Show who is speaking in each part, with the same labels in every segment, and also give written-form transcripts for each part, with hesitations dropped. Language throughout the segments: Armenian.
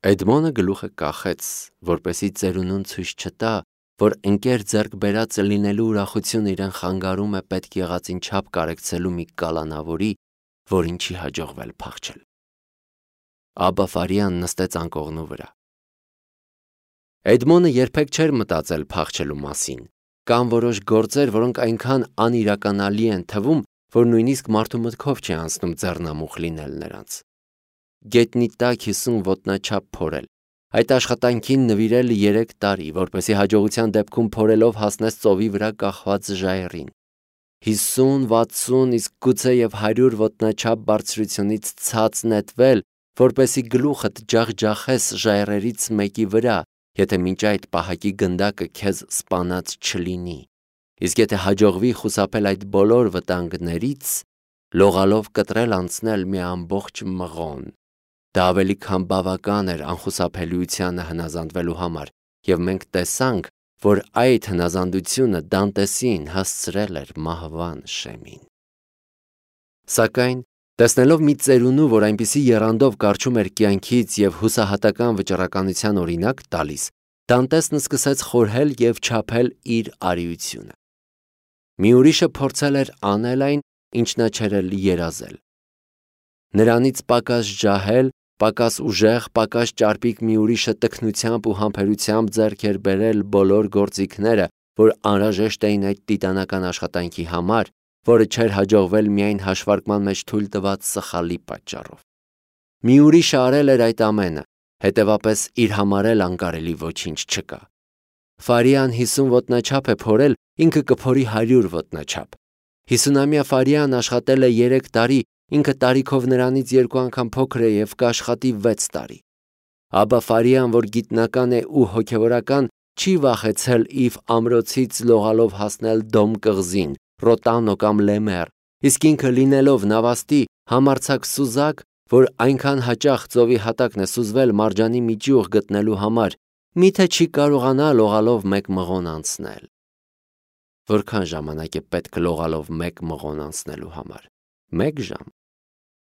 Speaker 1: Էդմոնը գլուխը կախեց, որպեսզի ծերունուն ցույց չտա, որ ընկեր ձեռք բերածը լինելու ուրախությունը իրեն խանգարում է պետք եղածին չափ կարեկցելու մի կալանավորի, որին չի հաջողվել փախչել։ Աբա Ֆարիան նստեց անկողնու վրա։ Էդմոնը երբեք չէր մտածել փախչելու մասին։ Կան որոշ գործեր, որոնք այնքան անիրականալի են թվում, որ նույնիսկ մարդու մտքով չի անցնում ձեռնամուխ լինել նրանց։ Գետնի տակ 50 ոտնաչափ փորել, այդ աշխատանքին նվիրել 3 տարի, որպեսզի հաջողության դեպքում փորելով հասնես ծովի վրա կախված ժայռին։ 50, 60, իսկ գուցեև 100 ոտնաչափ բարձրությունից ցած նետվել, որպեսզի գլուխդ ջախջախես ժայռերից մեկի վրա, եթե մինչ այդ պահակի գնդակը քեզ սպանած չլինի, իսկ եթե հաջողվի խուսափել այդ բոլոր վտանգներից, լողալով կտրել անցնել մի ամբողջ մղոն։ Դա ավելի քան բավական էր անխուսափելիությանը հնազանդվելու համար, եւ մենք տեսանք, որ այդ հնազանդությունը Դանտեսին հասցրել էր մահվան շեմին։ Սակայն, տեսնելով մի ծերունու, որ այնպիսի եռանդով կառչում էր կյանքից եւ հուսահատական վճռականության օրինակ տալիս, Դանտեսն սկսեց խորհել եւ չափել իր արիությունը։ Մի ուրիշը փորձել էր անել այն, ինչ նա չէր երազել։ Նրանից պակաս ջահել, պակաս ուժեղ, պակաս ճարպիկ մի ուրիշը տքնությամբ ու համբերությամբ ձեռք էր բերել բոլոր գործիքները, որ անհրաժեշտ էին այդ տիտանական աշխատանքի համար, որը չէր հաջողվել միայն հաշվարկման մեջ թույլ տված սխալի պատճառով։ Մի ուրիշը արել էր այդ ամենը, հետևապես իր համար էլ անկարելի ոչինչ չկա։ Ֆարիան 50 ոտնաչափ է փորել, ինքը կփորի 100 ոտնաչափ։ 50-ամյա Ֆարիան աշխատել է 3 տարի, ինքը տարիքով նրանից 2 անգամ փոքր է եւ կաշխատի 6 տարի։ Աբա Ֆարիան, որ գիտնական է ու հոգևորական, չի վախեցել Իվ ամրոցից լողալով հասնել Դոմ կղզին, Ռոտանո կամ Լեմեր, իսկ ինքը լինելով նավաստի համարձակ սուզակ, որ այնքան հաճախ ծովի հատակն է սուզվել մարջանի միջուղ գտնելու համար, միթե չի կարողանա լողալով 1 մղոն անցնել։ Որքան ժամանակ է պետք լողալով 1 մղոն անցնելու համար։ 1 ժամ։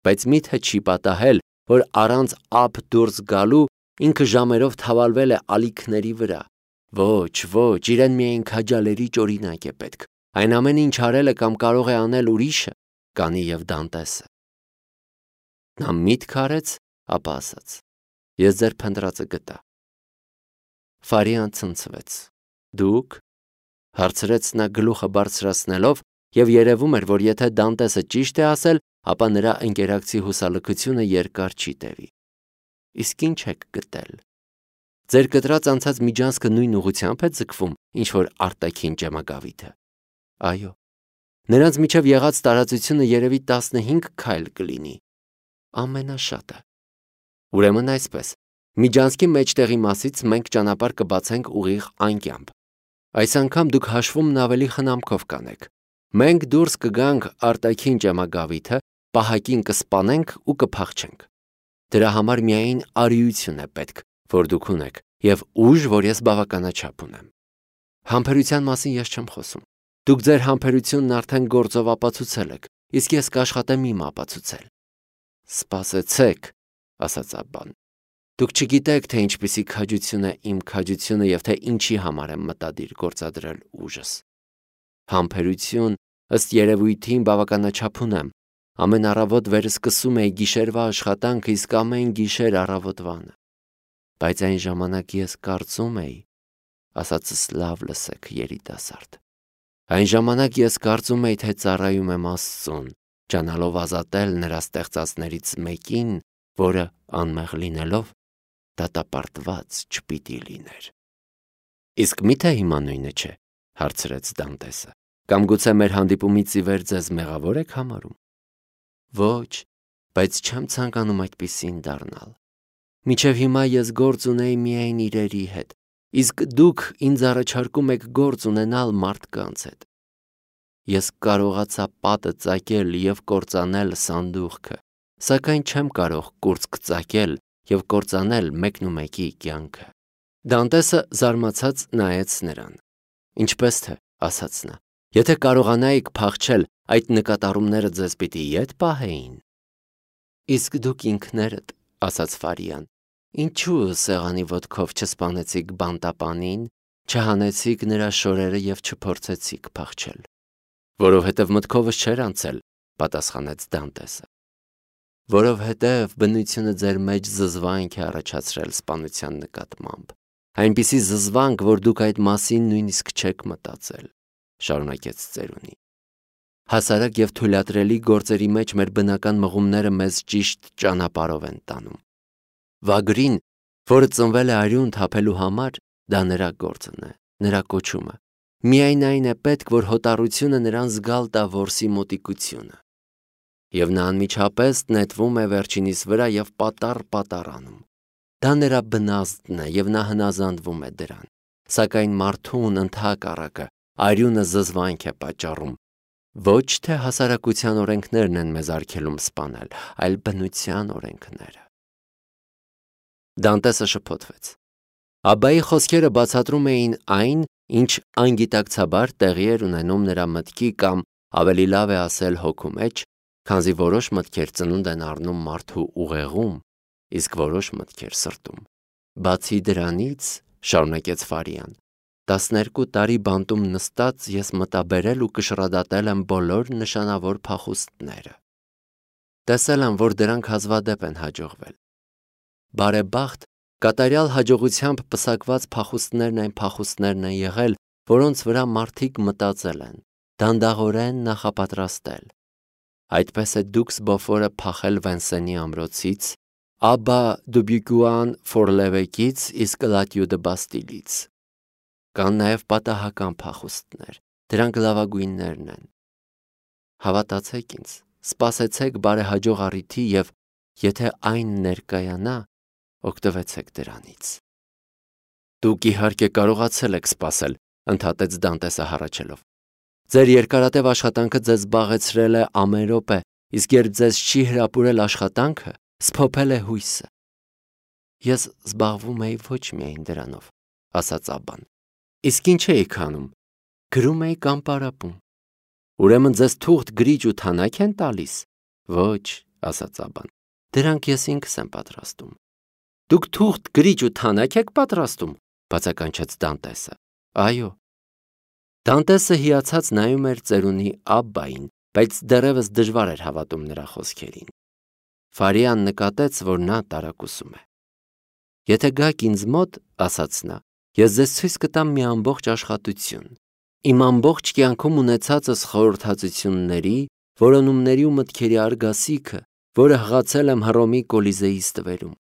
Speaker 1: Բայց միթե չի պատահել, որ առանց ափ դուրս գալու ինքը ժամերով թավալվել է ալիքների վրա։ Ոչ, իրեն միայն քաջալերիչ օրինակ է պետք։ Այն ամենը, ինչ արել է կամ կարող է անել ուրիշը, կանի եւ Դանտեսը։ Նա միտք արեց, ապա ասաց. Ես ձեր փնտրածը գտա։ Ֆարիան ցնցվեց։ Դուք, հարցրեց նա գլուխը բարձրացնելով, եւ երևում էր, որ եթե Դանտեսը ճիշտ է ասել, ապա նրա ընկերակցի հուսալքությունը երկար չի տևի։ Իսկ ինչ եք գտել։ Ձեր կտրած անցած միջանցքը նույն ուղղությամբ է ձգվում, ինչ որ արտաքին ճեմագավիթը։ Այո։ Նրանց միջև եղած տարածությունը երևի 15 քայլ կլինի։ Ամենաշատը։ Ուրեմն այսպես, միջանցքի մեջտեղի մասից մենք ճանապարհ կբացենք ուղիղ անկյամբ։ Այս անգամ դուք հաշվումն ավելի խնամքով կանեք։ Մենք դուրս կգանք արտաքին ճեմագավիթը, պահակին կսպանենք ու կփախչենք։ Դրա համար միայն արիություն է պետք, որ դուք ունեք, եւ ուժ, որ ես բավականաչափ ունեմ։ Համբերության մասին ես չեմ խոսում։ Դուք ձեր համբերությունն արդեն գործով ապացուցել եք, իսկ ես կաշխատեմ իմ ապացուցել։ Սպասեցեք, ասաց Աբբան։ Դուք չգիտեք, թե ինչպիսի քաջություն է իմ քաջությունը եւ թե ինչի համար եմ մտադիր գործադրել ուժս։ Համբերություն, ըստ երևույթին բավականաչափ ունեմ։ Ամեն առավոտ վերսկսում էի գիշերվա աշխատանքը, իսկ ամեն գիշեր առավոտվանը։ Բայց այն ժամանակ ես կարծում էի, ասածս լավ լսեք, երիտասարդ։ Այն ժամանակ ես կարծում էի, թե ծառայում եմ Աստծուն, ճանալով ազատել նրա ստեղծածներից մեկին, որը անմեղ լինելով դատապարտված չպիտի լիներ։ Իսկ միթե հիմա նույնը չէ, հարցրեց Դանտեսը։ Կամ գուցե մեր հանդիպումից ի վեր ձեզ մեղավոր եք համարում։ Ոչ, բայց չեմ ցանկանում այդպիսին դառնալ։ Մինչև հիմա ես գործ ունեի միայն իրերի հետ, իսկ դուք ինձ առաջարկում եք գործ ունենալ մարդկանց հետ։ Ես կարողացա պատը ծակել եւ կործանել սանդուղքը, սակայն չեմ կարող կուրծք ծակել եւ կործանել մեկնումեկի կյանքը։ Դանտեսը զարմացած նայեց նրան։ Ինչպես թե, ասաց նա, եթե կարողանայիք փախչել, այդ նկատառումները ձեզ պիտի ետ պահեին։ Իսկ դուք ինքներդ, ասաց Ֆարիան, Ինչու սեղանի ոտքով չսպանեցիք բանտապանին, չհանեցիք նրա շորերը և չփորձեցիք փախչել։ Որովհետև մտքովս չէր անցել, պատասխանեց Դանտեսը։ Որովհետև բնությունը ձեր մեջ զզվանք է առաջացրել սպանության նկատմամբ, այնպիսի զզվանք, որ դուք այդ մասին նույնիսկ չեք մտածել, շարունակեց ծերունի։ Հասարակ և թույլատրելի գործերի մեջ մեր բնական մղումները մեզ ճիշտ ճանապարհով են տանում։ Վագրին, որը ծնվել է արյուն թափելու համար, դա նրա գործն է, նրա կոչումը։ Միայն այն է պետք, որ հոտառությունը նրան զգալ տա որսի մոտիկությունը։ Եվ նա անմիջապես նետվում է վերջինիս վրա և պատառ անում։ Դա նրա բնազդն է և նա հնազանդվում է դրան։ Սակայն մարդուն ընդհակառակը արյունը զզվանք է պատճառում։ Ոչ թե հասարակության օրենքներն են մեզ արգելում սպանել, այլ բնության օրենքները։ Դանտեսը շփոթվեց։ Աբբայի խոսքերը բացատրում էին այն, ինչ անգիտակցաբար տեղի էր ունենում նրա մտքի կամ ավելի լավ է ասել հոգու մեջ, քանզի որոշ մտքեր ծնունդ են առնում մարդու ուղեղում, իսկ որոշ մտքեր սրտում։ Բացի դրանից, շարունակեց Ֆարիան, 12 տարի բանտում նստած ես մտաբերել ու կշռադատել եմ բոլոր նշանավոր փախուստները։ Տեսել եմ, որ դրանք հազվադեպ են հաջողվել։ Բարեբախտ, կատարյալ հաջողությամբ պսակված փախուստներն այն փախուստներն են եղել, որոնց վրա մարդիկ մտածել են, դանդաղորեն նախապատրաստել։ Այդպես է Դուքս Բոֆորը փախել Վենսենի ամրոցից, Աբբա Դուբյուկուան Ֆորլևեկից, իսկ Լատյու դը Բաստիլից։ Կան նաև պատահական փախուստներ, դրանք լավագույններն են։ Հավատացեք ինձ, սպասեցեք բարեհաջող առիթի և եթե այն ներկայանա, օգտվեցեք դրանից։ Դուք իհարկե կարողացել եք սպասել, ընդհատեց Դանտեսը հառաչելով։ Ձեր երկարատև աշխատանքը ձեզ զբաղեցրել է ամեն րոպե, իսկ երբ ձեզ չի հրապուրել աշխատանքը, սփոփել է հույսը։ Ես զբաղվում էի ոչ միայն դրանով, ասաց Աբբան։ Իսկ ինչ էիք անում։ Գրում էի կամ պարապում։ Ուրեմն ձեզ թուղթ, գրիչ ու թանաք են տալիս։ Ոչ, ասաց Աբբան։ Դրանք ես ինքս եմ պատրաստում։ Դուք թուղթ, գրիչ ու թանաք եք պատրաստում, բացականչեց Դանտեսը։ Այո։ Դանտեսը հիացած նայում էր ծերունի Աբբային, բայց դեռևս դժվար էր հավատում նրա խոսքերին։ Ֆարիան նկատեց, որ նա տարակուսում է։ Եթե գաք ինձ մոտ, ասաց նա, ես ձեզ ցույց կտամ մի ամբողջ աշխատություն։ Իմ ամբողջ կյանքում ունեցածս խորհրդածությունների, որոնումների ու մտքերի արգասիքը, որը հղացել եմ Հռոմի Կոլիզեի ստվերում։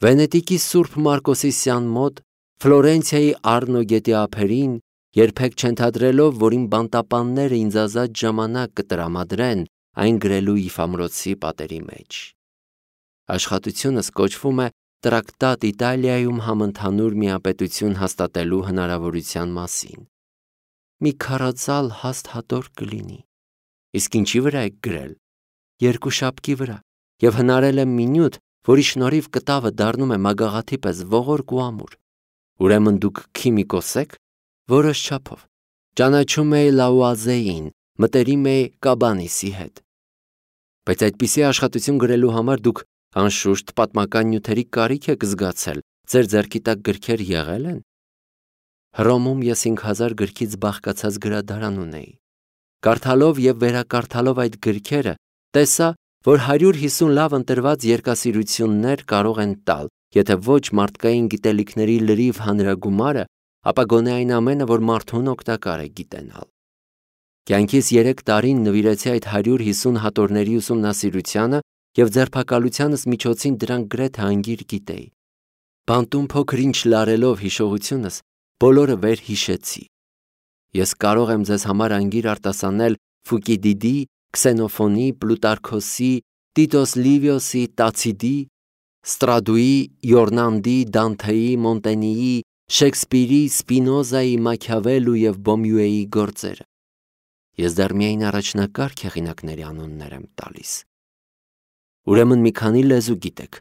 Speaker 1: Վենետիկի Սուրբ Մարկոսի սյան մոտ, Ֆլորենցիայի Արնո գետի ափերին, երբեք չընդհանրելով, որ իմ բանտապանները ինձ ազատ ժամանակ կտրամադրեն այն գրելու Իֆամրոցի պատերի մեջ։ Աշխատությունս կոչվում է Տրակտատ Իտալիայում համընդհանուր միապետություն հաստատելու հնարավորության մասին։ Մի քարածալ հաստ հատոր կլինի։ Իսկ ինչի վրա եք գրել։ Երկուշաբկի վրա, և հնարել եմ մի նյութ, որի շնորհիվ կտավը դառնում է մագաղաթի պես ողորկ ու ամուր։ Ուրեմն դուք քիմիկոս եք։ Որոշ չափով։ Ճանաչում էի Լաուազեին, մտերիմ էի Կաբանիսի հետ։ Բայց այդպիսի աշխատություն գրելու համար դուք անշուշտ պատմական նյութերի կարիք եք զգացել, ձեր ձեռքի տակ գրքեր եղել են։ Հռոմում ես 5000 գրքից բաղկացած գրադարան ունեի։ Կարդալով և վերակարդալով այդ գրքերը, տեսա, որ 150 լավ ընտրված երկասիրություններ կարող են տալ, եթե ոչ մարդկային գիտելիքների լրիվ հանրագումարը, ապա գոնե այն ամենը, որ մարդուն օգտակար է գիտենալ։ Կյանքիս 3 տարին նվիրեցի այդ 150 հատորների ուսումնասիրությանը և ձերբակալությանս միջոցին դրանք գրեթե անգիր գիտեի։ Բանտում փոքր-ինչ լարելով հիշողությունս, բոլորը վերհիշեցի։ Ես կարող եմ ձեզ համար անգիր արտասանել Ֆուկիդիդի, Քսենոֆոնի, Պլուտարքոսի, Տիտոս Լիվիոսի, Տացիդի, Ստրադուի, Յորնանդի, Դանթեի, Մոնտենիի, Շեքսպիրի, Սպինոզայի, Մաքիավելլու և Բոմյուեի գործերը։ Ես դեռ միայն առաջնակարգ հեղինակների անուններ եմ տալիս։ Ուրեմն մի քանի լեզու գիտեք։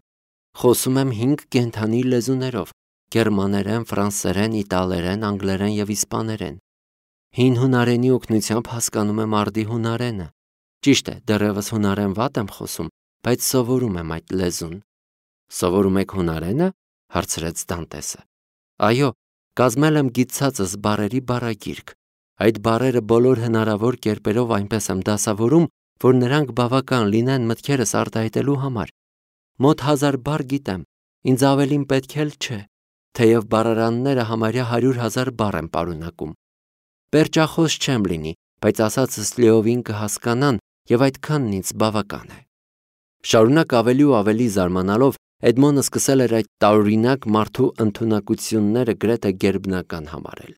Speaker 1: Խոսում եմ 5 կենդանի լեզուներով՝ գերմաներեն, ֆրանսերեն, իտալերեն, անգլերեն և իսպաներեն։ Հին հունարենի օգնությամբ հասկանում եմ արդի հունարենը։ Ճիշտ է, դեռևս հունարեն վատ եմ խոսում, բայց սովորում եմ այդ լեզուն։ Սովորում եք հունարենը, հարցրեց Դանտեսը։ Այո, կազմել եմ գիտցածս բառերի բառագիրք։ Այդ բառերը բոլոր հնարավոր կերպերով այնպես եմ դասավորում, որ նրանք բավական լինեն մտքերս արտահայտելու համար։ Մոտ 1000 բառ գիտեմ, ինձ ավելին պետք էլ չէ, թեև բառարանները համարյա 100,000 բառ են պարունակում։ Պերճախոս չեմ լինի, բայց ասածս լիովին կհասկանան և այդքանն ինձ բավական է։ Շարունակ ավելի ու ավելի զարմանալով Էդմոնը սկսել էր այդ տարօրինակ մարդու ընդունակությունները գրեթե գերբնական համարել։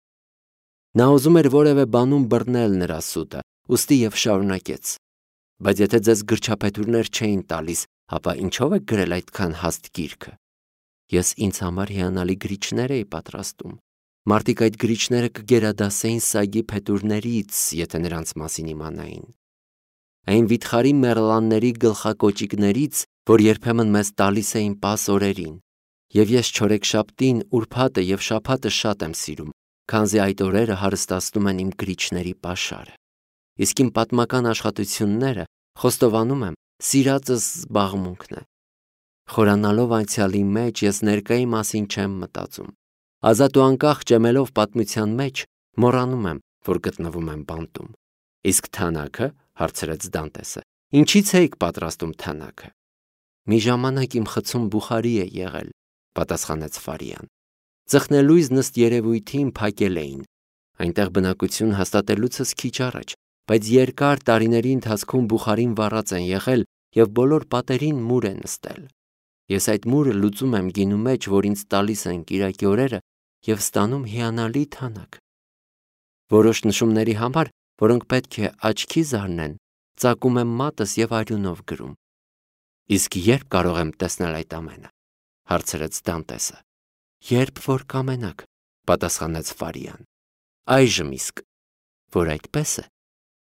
Speaker 1: Նա ուզում էր որևէ բանում բռնել նրա սուտը, ուստի և շարունակեց. Բայց եթե ձեզ գրչափետուրներ չէին տալիս, ապա ինչով եք գրել այդքան հաստ գիրքը։ Ես ինձ համար հիանալի գրիչներ էի պատրաստում։ Մարդիկ այդ գրիչները կգերադասեին սագի փետուրներից, եթե նրանց մասին իմանային։ Այն վիթխարի մեռլանների գլխակոճիկներից, որ երբեմն մեզ տալիս էին պաս օրերին, և ես չորեքշաբթին, ուրբաթը և շաբաթը շատ եմ սիրում, քանզի այդ օրերը հարստացնում են իմ գրիչների պաշարը։ Իսկ իմ պատմական աշխատությունները, խոստովանում եմ, սիրածս զբաղմունքն է։ Խորանալով անցյալի մեջ, ես ներկայի մասին չեմ մտածում։ Ազատ ու անկախ ջեմելով պատմության մեջ, մոռանում եմ, որ գտնվում եմ բանտում։ Իսկ թանաքը, հարցրեց Դանտեսը, ինչի՞ց էիք պատրաստում թանաքը։ Մի ժամանակ իմ խցում բուխարի է եղել, պատասխանեց Ֆարիան։ Ծխնելույզ նստ երևույթին փակել էին։ Այնտեղ բնակություն հաստատելուցս քիչ առաջ, բայց երկար տարիների ընթացքում բուխարին վառած են եղել և բոլոր պատերին մուր է նստել։ Ես այդ մուրը լուծում եմ գինու մեջ, որ ինձ տալիս են կիրակի օրերը և ստանում հիանալի թանաք։ Որոշ նշումների համար, որոնք պետք է աչքի զարնեն, ծակում եմ մատս և արյունով գրում։ Իսկ երբ կարող եմ տեսնել այդ ամենը, հարցրեց Դանտեսը։ Երբ որ կամենաք, պատասխանեց Ֆարիան։ Այժմ իսկ, որ այդպես է,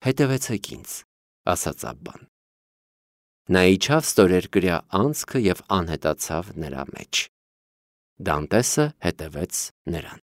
Speaker 1: հետևեցեք ինձ, ասաց Աբբան։ Նա իջավ ստորերկրյա անցքը և անհետացավ նրա մեջ։ Դանտեսը հետևեց նրան։